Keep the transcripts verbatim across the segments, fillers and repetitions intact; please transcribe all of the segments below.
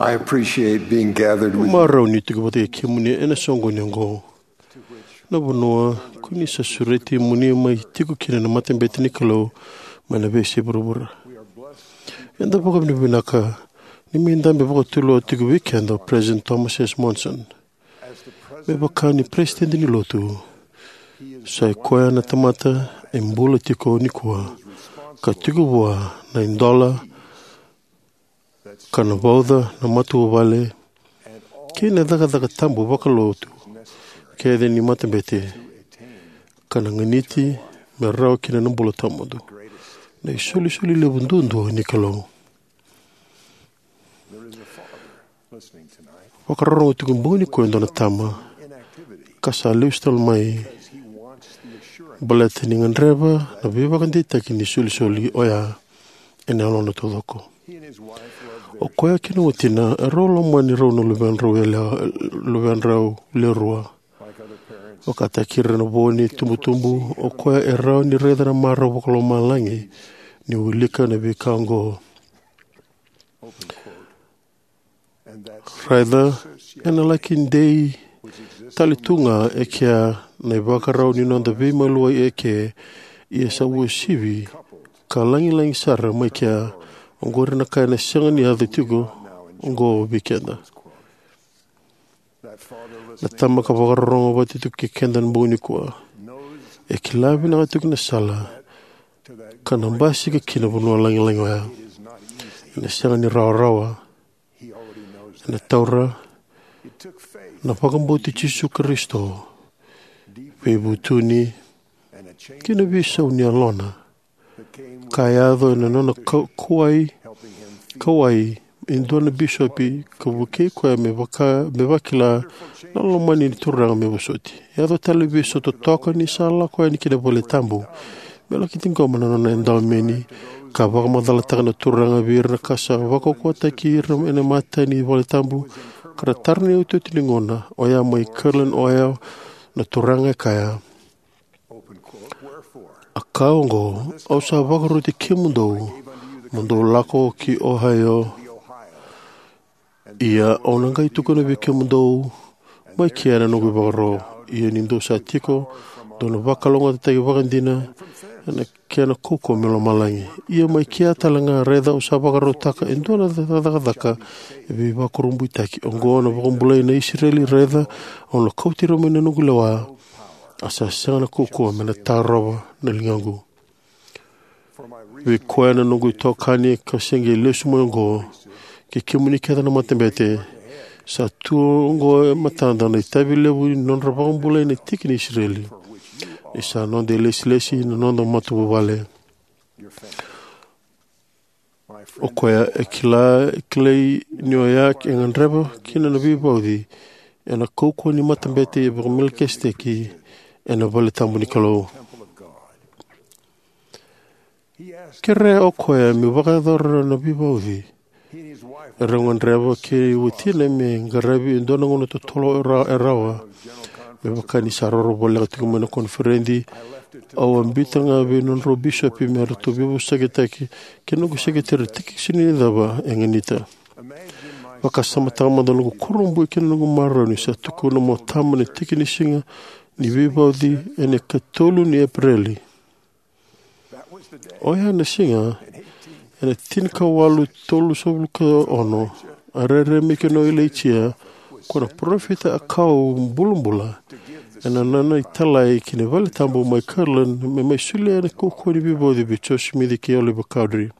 I appreciate being gathered with you. Marau ni tiko vata kei kemuni ena soqoni oqo, na vanua ko ni sa sureti mo ni mai tiko kina na matabete ni Kalou mai na veiyasai vuravura. Eda vakavinavinaka ni mai dabe vakatulewa tiko vei keda o President Thomas S. Monson me vaka ni Peresitedi ni Lotu. Sa i koya na tamata e bula tiko nikua ka tiko vua na idola ka na vauca na matavuvale kei na cakacaka tabu vakalotu kece ni matabete ka na ganiti me rawa kina na bula tawamudu, na isolisoli levu duadua ni Kalou. Vakarorogo tiko bogi nikua e dua na tama ka sa lesu tale mai baleta ni gadreva na veivakadeitaki ni isolisoli oya ena yalona taucoko. O koya kei na watina erau lomani rau na luvedrau yalewa, luvedrau lewe rua. Vakataki ira na vo ni tubutubu, o koya e rawa ni raica na marau vakalomalagi ni wilika na veika oqo. Raica, ena laki dei tale tu ga e kea na ivakarau ni noda veimaliwai eke, ia sa uasivi ka lagilagi sara mai kea. Oqori na ka ena sega ni yaco tiko oqo vei keda. Na tama ka vakarorogo vata tiko kei keda na bogi nikua e kila vinaka tiko na sala ka na basika kina vanua lagilagi oya. Ena sega ni rawarawa. Ena taura na vakabauti Jisu Karisito, veivutuni kei na veisau ni yalona ka yaco ena nona ka-, kauwai, kauwai e dua na bisopi ka vukei koya me vaka, me vakila na lomani ni Turaga me vosoti. E yaco tale na veisautaka ni sa lako yani ki na vale tabu me laki ciqoma na nona edaumeni ka vakamacalataka na Turaga vei ira na ka sa vakaukauwataki ira ena imatai ni vale tabu ka ra tara na iotioti ni gauna oya mai Kirtland, Ohio, na Turaga e kaya. A ka oqo, au sa vakaroti kemudou mo dou lako ki Ohio, ia au na qai tukuna vei kemudou mai kea na noqu ivakaro. Ia ni dou sa tiko, dou na vakalougatataki vakadina ena kena kaukauwa mai lomalagi. Ia mai kea tale ga, raica, au sa vakarautaka e dua na cakacaka e veivakurabuitaki. Oqo na vakabulai na Isireli, raica, au na kauti ira mai na noqu lewa, a sa sega na kaukauwa me na tarova na ligaqu. Vei koya na noqu itokani ka se qai lesu mai oqo, kei kemuni kece na matabete, sa tu oqo e matada na itavi levu ni nodra vakabulai na tiki ni Isireli. Ni sa noda ilesilesi na noda matavuvale. O koya e kila, e kilai ni oya e gadreva kina na veivauci ena kaukauwa ni matabete e vakaMelikiseteki ena vale tabu ni Kalou. Kerea o koya me vakayacora na veivauci. Erau gadreva kei watina me qaravi e dua na gauna totolo e ra-, e rawa. Me vaka ni sa roro voleka tiko mai na koniferedi, au a biuta ga vei nodrau bisopi me ratou veivosakitaki kei na noqu sekeriteri tiki sega ni cava e ganita. Vakasamataka mada na noqu kurabui kei na noqu marau ni sa tukuna mo tama na tiki ni siga ni veivauci ena ikatolu ni Epereli. Oya na siga ena tinikawalu tolusagavulu ka ono, a rairai mai kina o Ilaija, ko na parofita a kau bulabula, ena nona italai ki na vale tabu mai Kirtland, me mai solia na kaukauwa ni veivauci vei Joseph Smith kei Oliver Cowdery.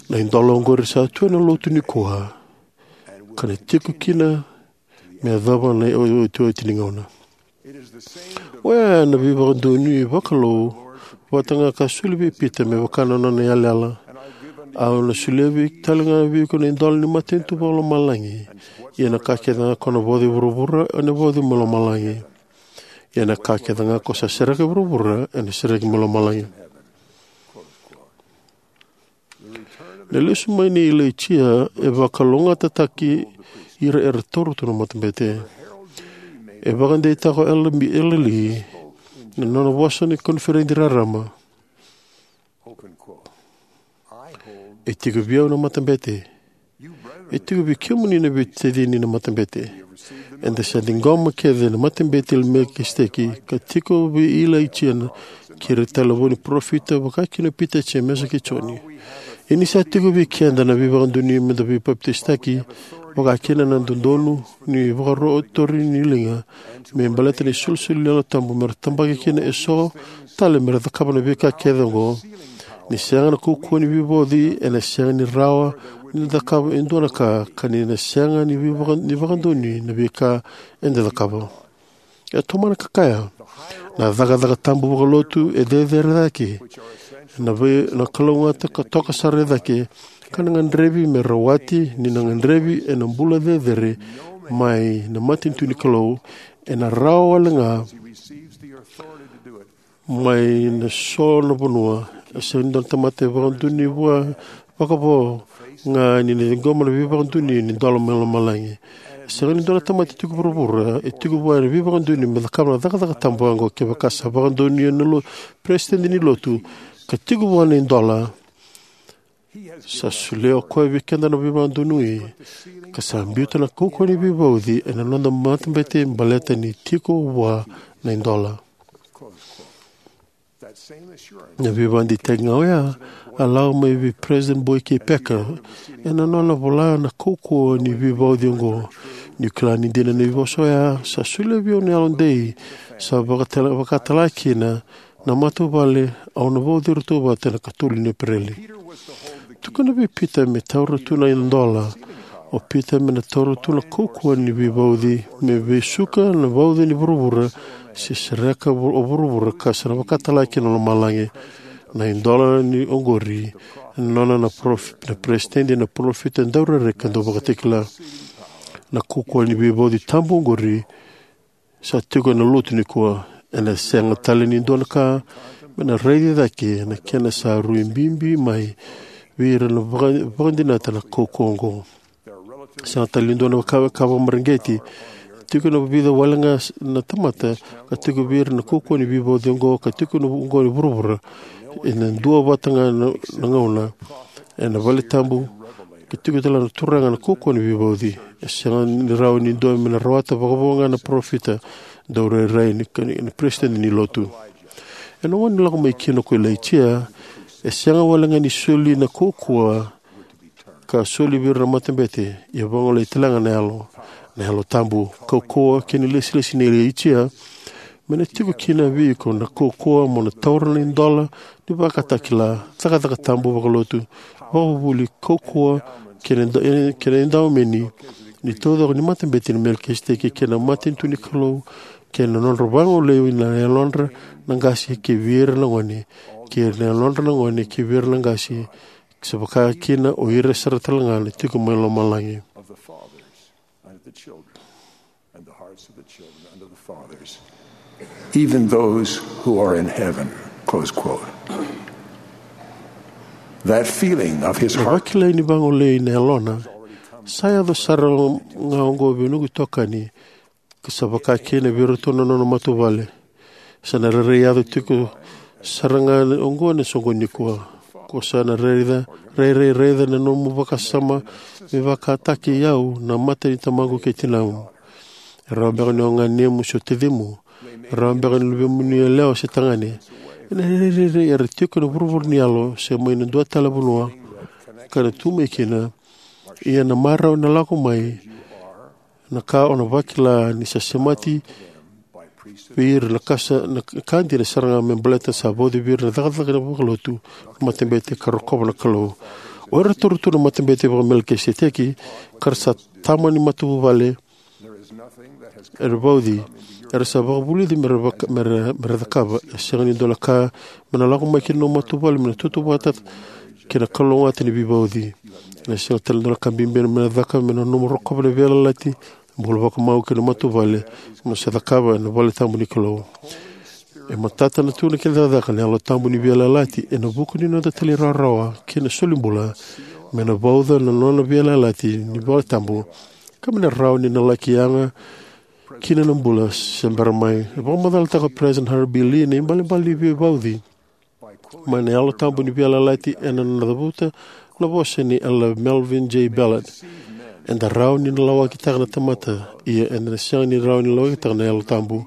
Na idola oqori sa tu ena lotu nikua, ka na tiko kina me yacova na iotioti ni gauna. Oya na veivakadonui vakalou vata ga ka soli vei Pita me vaka na nona yalayala. Au na solia vei tale ga vei iko na idola ni matanitu vakalomalagi. Ia na ka kece ga ko na vauci e vuravura, ena vauci mai lomalagi. Ia na ka kece ga ko sa sereka e vuravura, ena sereki mai lomalagi. Na lesu mai nei Ilaija e vakalougatataki ira era taura tu na matabete. E vakadeitaka o Elder Lee na nona vosa ni koniferedi raraba. E tiko vei au na matabete. E tiko vei kemuni na veitacini na matabete. Eda sa ciqoma kece na matabete i Melikiseteki, ka tiko vei Ilaija na, kei ira tale na vo ni parofita, vaka kina o Pita, Jemesa kei Joni. Ia ni sa tiko vei keda na veivakadonui meda veipapitaisotaki, vaka kina na dodonu ni vakaro-, tori ni liga, me baleta na isolisoli ni Yalo Tabu, mera tabaki kina eso tale mera cakava na veika kece oqo. Ni sega na kaukauwa ni veivauci, ena sega ni rawa ni cakava e dua na ka, ka ni na sega ni veivaka-, ni vakadonui na veika eda cakava. E tomana ka kaya, na cakacaka tabu vakalotu e cecere cake na vei, na kalougata ka toka sara e cake, ka na gadrevi me rawati, ni na gadrevi ena bula cecere mai na matanitu ni Kalou, ena rawa wale ga mai na so na vanua. E sega ni dua na tamata e vakadonui vua vakavo ga ni na ciqoma na veivakadonui ni dola mai lomalagi. E sega ni dua na tamata e tiko vuravura e tiko vua na veivakadonui me cakava na cakacaka tabu oqo. Kevaka sa vakadonui na lo-, peresitedi ni lotu ka tiko vua na idola, sa solia o koya vei keda na veivakadonui, ka sa biuta na kaukauwa ni veivauci ena noda matabete baleta ni tiko vua na idola. Na veivakadeitaki ga oya a lako mai vei President Boyd K. Packer ena nona vola na kaukauwa ni veivauci oqo. Niu kila ni dina na veivosa oya, sa solia vei au na yalodei, sa vakatala, vakatala kina na matavuvale, au na vauci iratou vata ena ikatolu ni Epereli. Tukuna vei Pita me taura tu na idola. O Pita me na taura tu na kaukauwa ni veivauci, me vesuka na vauci ni vuravura, se sereka vu-, o vuravura ka sa na vakatala kina lomalagi. Na idola ni oqori, nona na prof-, na peresitedi, na parofita, daurairai ka dauvakatakila. Na kaukauwa ni veivauci tabu oqori, sa tiko ena lotu nikua. Ena sega tale ni dua na ka me na raici cake na kena sa rui bibi mai vei ira na vaka-, vakadinata na kaukauwa oqo. Sega tale ni dua na ka, ka vakamareqeti. Tiko na vica wale ga s-, na tamata ka tiko vei ira na kaukauwa ni veivauci oqo, ka tiko na vu-, oqo ni vuravura. Ena dua vata ga na, na gauna ena vale tabu, ka tiko tale na Turaga na kaukauwa ni veivauci. E sega ni rawa ni dua me na rawata vakavo ga na parofita, daurairai ni ka-, ni, ni peresitedi ni lotu. Ena gauna ni lako mai kina ko Ilaija, e sega wale ga ni soli na kaukauwa ka soli vei ira na matabete, ia vagolei tale ga na yalo, na Yalo Tabu. Kaukauwa kei na ilesilesi nei Ilaija, me na tiko kina vei iko na kaukauwa mo na taura na idola ni vakatakila, cakacaka tabu vakalotu, vakavuvuli, kaukauwa kei na da-, kei na idaumeni ni taucoko ni matabete ni Melikiseteki, kei na matanitu ni Kalou, kei na nodra vagolei na yalodra na qase kei vei ira na gone, kei na yalodra na gone kei vei ira na qase, sa vaka kina o ira sara tale ga na tiko mai lomalagi. Even those who are in heaven, close quote. That feeling of his Na heart vakilai ni vagolei na yalona, sa yaco sara ga oqo vei noqu itokani, ka sa vaka kina vei iratou na nona matavuvale. Sa na rairai yaco tiko sara ga oqo ena soqoni nikua. Ko sa na raica, rairai raica na nomu vakasama me vakataki au na mata ni tamaqu kei tinamu. E rawa beka ni o ganemu se o tacimu. E rawa beka ni luvemuni yalewa se tagane. Ena rairai era tiko ena vuravura ni yalo se mai na dua tale vanua ka na tu mai kina. Ia na marau ena lako mai na ka o na vakila ni sa semati vei ira na ka sa, na ka dina sara ga me baleta sa vauci vei ira na cakacaka vakalotu na matabete ka rokova na Kalou. O ira taura tu na matabete vakaMelikiseteki, ka ra sa tama ni matavuvale, era vauci, era sa vakavulici me ra vaka-, me ra, me ra cakava. E sega ni dua na ka me na lako mai kina nomu matavuvale me na tautauvata kei na kalougata ni veivauci. Ena sega tale ni dua na ka bibi me na caka me na nomu rokova na veiyalayalati, bula vakamau kei na matavuvale mo na sa cakava ena vale tabu ni Kalou. E matata na tu na kena cakacaka na Yalo Tabu ni veiyalayalati ena vuku ni noda talairawarawa kei na solibula me na vauca na nona veiyalayalati ni vale tabu, ka me na rawa ni na laki yaga kina na bula se bera mai. E vakamacalataka o President Harold B. Lee na ibalebale ni veivauci mai na Yalo Tabu ni veiyalayalati ena nona cavuta na vosa ni Elder Melvin J. Ballard. Eda rawa ni na lawakitaka na tamata, ia eda na sega ni rawa ni lawakitaka na Yalo Tabu,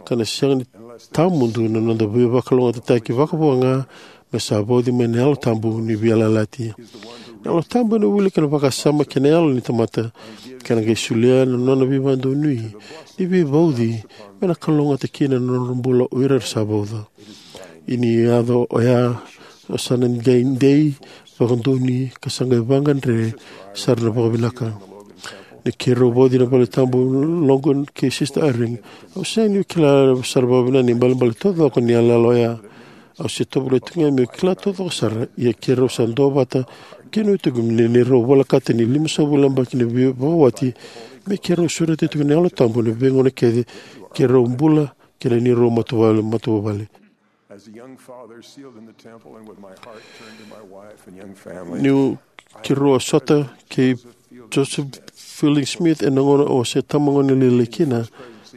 ka na sega ni tawamudu na noda veivakalougatataki vakavo ga me sa vauci mai na Yalo Tabu ni veiyalayalati. Na Yalo Tabu ena wilika na vakasama kei na yalo ni tamata, ka na qai solia na nona veivakadonui ni veivauci me na kalougata kina na nodra bula o ira era sa vauca. Ia ni yaco oya, o sa na qai dei, vakadonui, ka sa qai vakagadre sara na vakavinaka. Ni keirau vauci na Valetabu Logan kei Sister Eyring, au sega ni kila sara vakavinaka na ibalebale taucoko ni yalayala oya. Au se tovolea tu ga meu kila taucoko sara, ia keirau sa duavata kina tiko ni neirau volekata ni limasagavulu na yabaki ni veivakawati, me keirau sureta tiko na Yalo Tabu ena veigauna kece keirau bula kina, neirau matavuvale, matavuvale. As a young father sealed in the temple and with my heart turned to my wife and young family, niu keirau a sota kei Joseph Fielding Smith ena gauna au se tama gone lailai kina,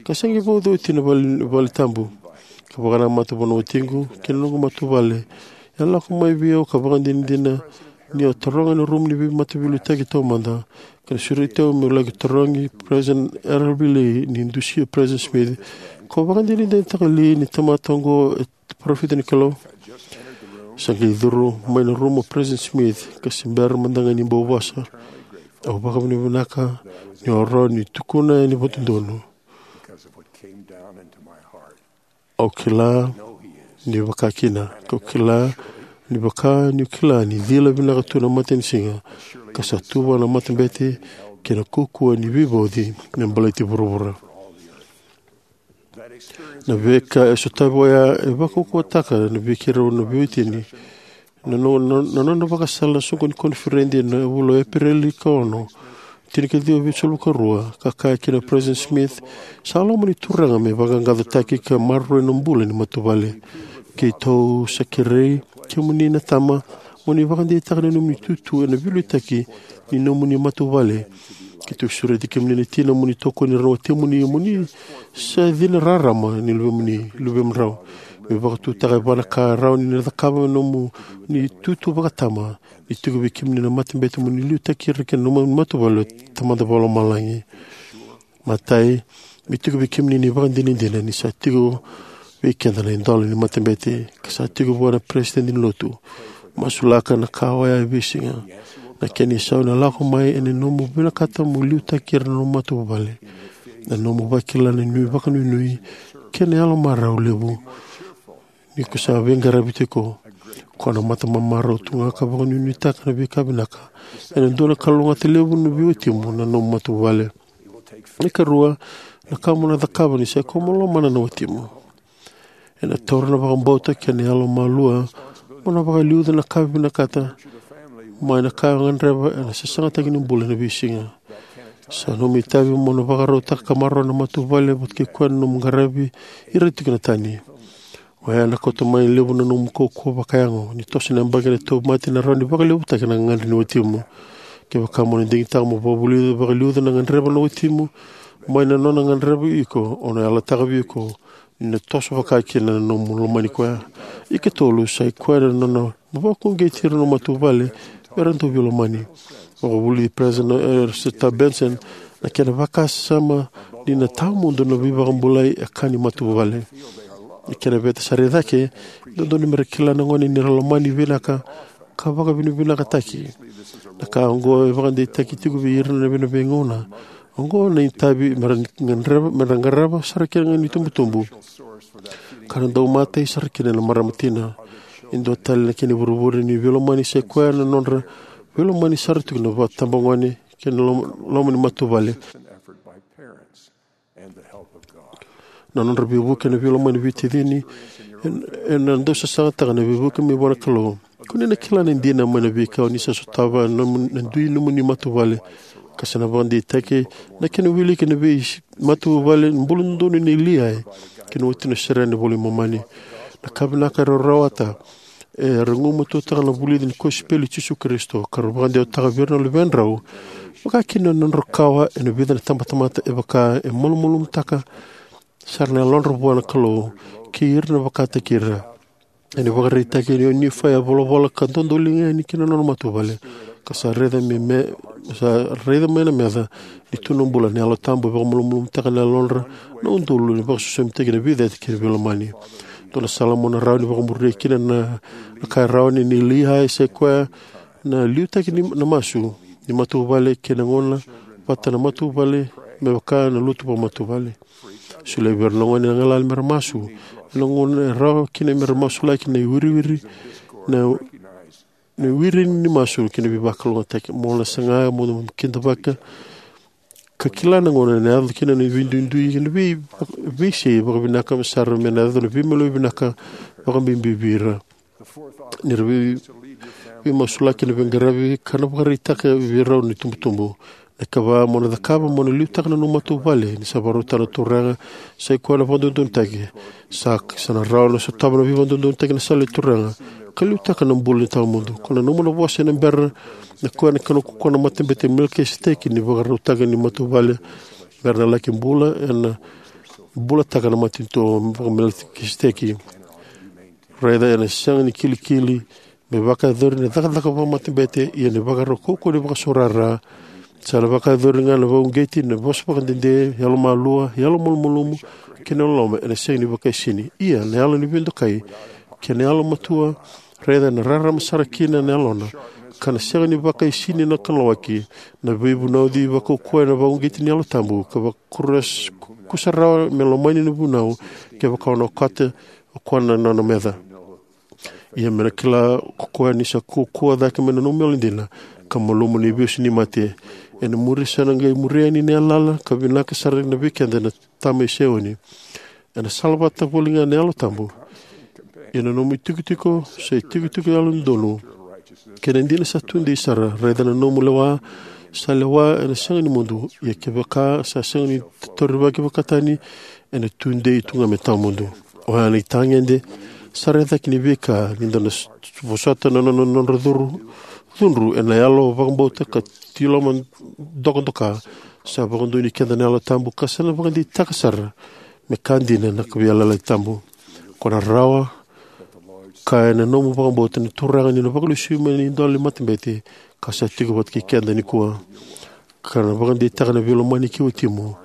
ka se qai vauci oti na vale, Valetabu, ka vakanamata vua na watiqu kei na noqu matavuvale. E a lako mai vei au ka vakadinadina ni a taroga ena rumu ni veimataveiliutaki taumada, ka na sureti au meu laki tarogi President Harold B. Lee ni dusia President Smith. Ko vakadinadinataka, Lee, ni tamata oqo e parofita ni Kalou? Sa qai curu mai na rumu o President Smith, ka se bera mada ga ni bau vosa. Au vakavinavinaka niu a rawa ni tukuna yani vakadodonu. Au kila ni vaka kina, kau kila ni vaka niu kila ni cila vinaka tu na matanisiga, ka sa tu vua na matabete kei na kaukauwa ni veivauci me baleti vuravura. Na veika e sotavi oya e vakaukauwataka na vei keirau na veiwatini. Na, na, na, na nona vakasala na soqo ni koniferedi ena vula o Epereli ka ono, tinikaciwa vitusagavulu ka rua, ka kaya kina o President Smith, sa loma ni Turaga me vaqaqacotaki ka maroroi na bula ni matavuvale. Keitou sa kerei kemuni na tama mo ni vakadeitaka na nomuni itutu ena veiliutaki ni nomuni matavuvale. Keitou sureti kemuni na tina mo ni tokoni ira na watimuni, mo ni sa cina rarama ni luvemuni, luvemudrau. Me vakatutaka e va na ka rawa ni na cakava me nomuni itutu vakatama, ni tiko vei kemuni na matabete mo ni liutaki ira kei na nomuni matavuvale o Tamada Vakalomalagi. Matai, me tiko vei kemuni na ivakadinadina ni sa tiko vei keda na idola ni matabete, ka sa tiko vua na peresitedi ni lotu. Masulaka na ka oya e veisiga. Na kena isau ena lako mai ena nomu vinakata mo liutaki ira na nomu matavuvale, na nomu vakila na nui vakanuinui kei na yalo marau levu. Ni ko sa veiqaravi tiko, ko na mata mamarau tu ga ka vakanuinuitaka na veika vinaka. Ena dua na kalougata levu na veiwatimu na nomu matavuvale. Na ikarua, na ka mo na cakava ni sa iko mo lomana na watimu. Ena taura na vakabauta kei na yalo malua mo na vakaliuca na ka vinakata mai na ka e gadreva ena sasagataki ni bula ena veisiga. Sa nomu itavi mo na vakarautaka ka maroroya na matavuvale vata kei koya na nomu qaravi ira tiko na tani. Oya ena kauta mai levu na nomu kaukauwa vakayago. Ni toso na yabaki ena tauvimate, ena rawa ni vakalevutaki na gagadre ni watimu. Kevaka mo na digitaka mo vakavulica, vakaliuca na gadreva na watimu mai na nona gadreva iko, o na yalataka vei iko ni na toso vaka kina na nomu lomani koya. Ikatolu, sa i koya na nona mo vakauqeti ira na matavuvale me ra dau veilomani. Vakavulici President Ezra Taft Benson, na kena vakasama ni na tawamudu na veivakabulai e ka ni matavuvale. Na kena veta sara i cake, dodonu me ra kila na gone ni ra lomani vinaka ka vakavinavinakataki. Na ka oqo e vakadeitaki tiko vei ira ena veigauna oqo na itavi me ra qarava, me ra qarava sara kina na itubutubu ka na dau matai sara kina na marama tina. E dua tale na kena ivurevure ni veilomani sa i koya na nodra veilomani sara tiko na vakatabagone kei na loma, loma ni matavuvale. Na nodra veivuke na veilomani veitacini ena, ena dau sasagataka na veivuke mai vua na Kalou. Ko ni na kila na dina mai na veika o ni sa sotava na nomu, na dui nomuni matavuvale. Ka sa na vakadeitaki na kena wiliki na veimatavuvale buladodonu nei Liai kei na watina o Seraia ena iVola i Momani. Na ka vinaka era rawata era gumatuataka na vulici ni kosipeli i Jisu Karisito, ka ra vakadewataka vei ira na luvedrau, vaka kina na nodrau kawa ena vica na tabatamata, e vaka e malumalumutaka sara na yalodra vua na Kalou kei ira na vakataki ira. Ena ivakaraitaki nei Nifai, a volavola ka dodoliga yani ki na nona matavuvale, ka sa raica me, me sa raica mai na meca ni tu na bula. Na Yalo Tabu e vakamalumalumutaka na yalodra na udolu, ni vakaisosomitaki na veicati kei na veilomani. Dua na sala mo na rawa ni vakamuria kina na, na ka e rawa ni, ni Liai sa i koya na liutaki ni, na masu ni matavuvale kei na gauna vata na matavuvale, me vaka na lotu vakamatavuvale. Solia vei ira na gone na galala mera masu ena gauna e rawa kina, mera masulaki na iwiriwiri, na, na iwiri ni masu kei na veivakalougatataki. Mo na saga mo na kidavaka ka kila na gauna ena yaco kina na veiduidui kei na vei, veisei. Vakavinaka sara me na yaco na veimaliwai vinaka, vakabibi vei ira. Ni ra vei, veimasulaki na veiqaravi ka na vakaraitaka vei rau na itubutubu. Na ikava mo na cakava mo na liutaka na nomu matavuvale, ni sa vakarautaka na Turaga sa i koya na vakadodonutaki. Sa, sa na rawa na sotava na veivakadodonutaki na sala ni Turaga ka liutaka na bula ni tawamudu. Ko na nomu na vosa ena bera na koya na kena kukua na Matabete i Melikiseteki ni vakarautaka ni matavuvale mera na laki bula ena bulataka na matanitu vakaMelikiseteki. Raica, ena sega ni kilikili me vakayacori na cakacaka vakamatabete, ia na ivakarau kaukauwa ni vakasaurara. Sa na vakayacori ga na vakauqeti, na vosa vakadede, yalomalua, yalomalumalumu kei na loloma, ena sega ni vakaisini. Ia na yalo ni veidokai kei na yalomatua, raica, ena rarama sara kina na yalona, ka na sega ni vakaisini na kanalawaki. Na veivunauci vakaukauwa ena vakauqeti ni Yalo Tabu ka vakuras-, kusarawa me lomani na vunau kevaka o na okata o koya na nona meca. Ia me na kila ko koya ni sa kaukaua cake mai na nomu yalodina ka malumu na ivesu ni mate. Ena muri sa na qai muri yani na yalayala ka vinaka sara na vei keda na tama i Saioni. Ena salavata voli ga na Yalo Tabu. Ia na nomu itikotiko sa itikotiko yalododonu kei na dina sa tudei sara. Raica, na nomu lewa sa lewa ena sega ni mudu. Ia kevaka sa sega ni taurivaki vakatani, ena tudei tu ga me tawamudu. Oya na itagede sara e cake ni veika ni da na s-, vosota na nona, nodra curu, cudru ena yalo vakabauta ka tiloma dokadoka. Sa vakadonui keda na Yalo Tabu ka sa na vakadeitaka sara me ka dina na ka veiyalayalati tabu. Ko na rawa ka ena nomu vakabauta na Turaga ni na vakalesui mai na idola ni matabete ka sa tiko vata kei keda nikua, ka na vakadeitaka na veilomani ki watimu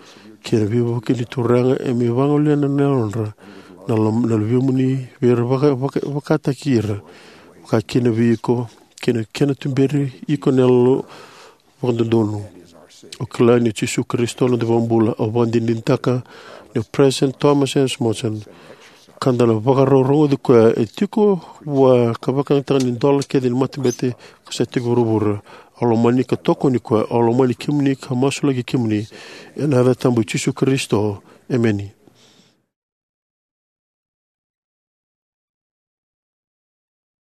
kei na veivuke ni Turaga, e me vagolea na yalodra na lom-, na luvemuni vei ira vaka-, vaka-, vakataki ira, vakakina vei iko, kei na kena tuberi iko na yalo vakadodonu. Au kila ni o Jisu Karisito na noda iVakabula. Au vakadinadinataka ni o President Thomas S. Monson, ka da na vakarau rogoci koya, e tiko vua ka vakayagataka na idola kece ni matabete ka sa tiko vuravura. Au lomani ka tokoni koya. Au lomani kemuni ka masulaki kemuni ena yaca tabu i Jisu Karisito. Emeni.